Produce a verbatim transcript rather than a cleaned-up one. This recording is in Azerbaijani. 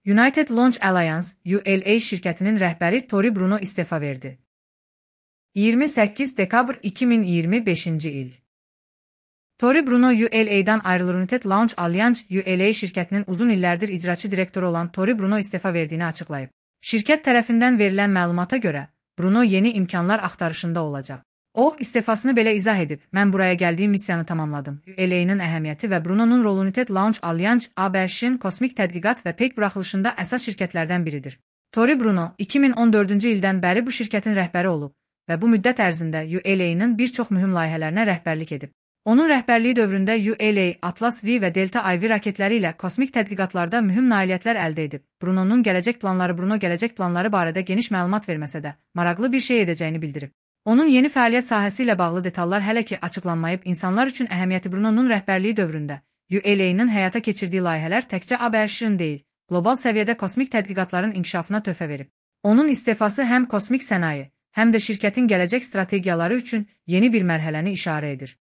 United Launch Alliance U L A şirkətinin rəhbəri Tory Bruno istefa verdi. iyirmi səkkiz dekabr iki min iyirmi beşinci il. Tory Bruno U L A'dan ayrılır. United Launch Alliance U L A şirkətinin uzun illərdir icraçı direktoru olan Tory Bruno istefa verdiyini açıqlayıb. Şirkət tərəfindən verilən məlumata görə, Bruno yeni imkanlar axtarışında olacaq. O, istefasını belə izah edib, mən buraya gəldiyim missiyanı tamamladım. U L A'nın əhəmiyyəti və Bruno'nun rolu United Launch Alliance A B Ş'in kosmik tədqiqat və peyk buraxılışında əsas şirkətlərdən biridir. Tory Bruno, iki min on dördüncü ildən bəri bu şirkətin rəhbəri olub və bu müddət ərzində U L A'nın bir çox mühüm layihələrinə rəhbərlik edib. Onun rəhbərliyi dövründə U L A, Atlas V və Delta I V raketləri ilə kosmik tədqiqatlarda mühüm nailiyyətlər əldə edib. Bruno'nun gələcək planları Bruno gələcək planları barədə geniş məlumat verməsə də, maraqlı bir şey edəcəyini bildirib. Onun yeni fəaliyyət sahəsi ilə bağlı detallar hələ ki açıqlanmayıb. İnsanlar üçün əhəmiyyəti Bruno'nun rəhbərliyi dövründə U L A'nın həyata keçirdiyi layihələr təkcə A B Ş'in deyil, qlobal səviyyədə kosmik tədqiqatların inkişafına töhfə verib. Onun istefası həm kosmik sənaye, həm də şirkətin gələcək strategiyaları üçün yeni bir mərhələni işarə edir.